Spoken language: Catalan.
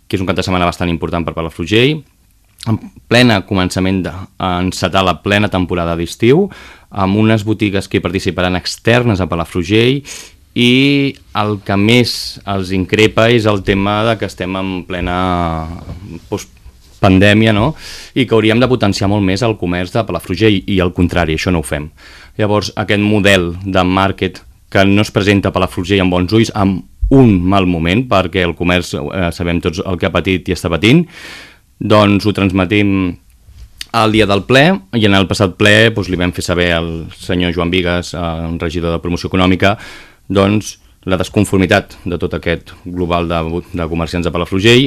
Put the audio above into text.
que és un cap de setmana bastant important per Palafrugell, en plena començament d'encetar la plena temporada d'estiu, amb unes botigues que hi participaran externes a Palafrugell, i el que més els increpa és el tema de que estem en plena pandèmia, no? I que hauríem de potenciar molt més el comerç de Palafrugell, i al contrari, això no ho fem. Llavors, aquest model de màrquet que no es presenta a Palafrugell amb bons ulls, amb un mal moment, perquè el comerç sabem tots el que ha patit i està patint, doncs ho transmetim al dia del ple, i en el passat ple li vam fer saber al senyor Joan Bigues, el regidor de Promoció Econòmica, doncs la desconformitat de tot aquest global de comerciants de Palafrugell,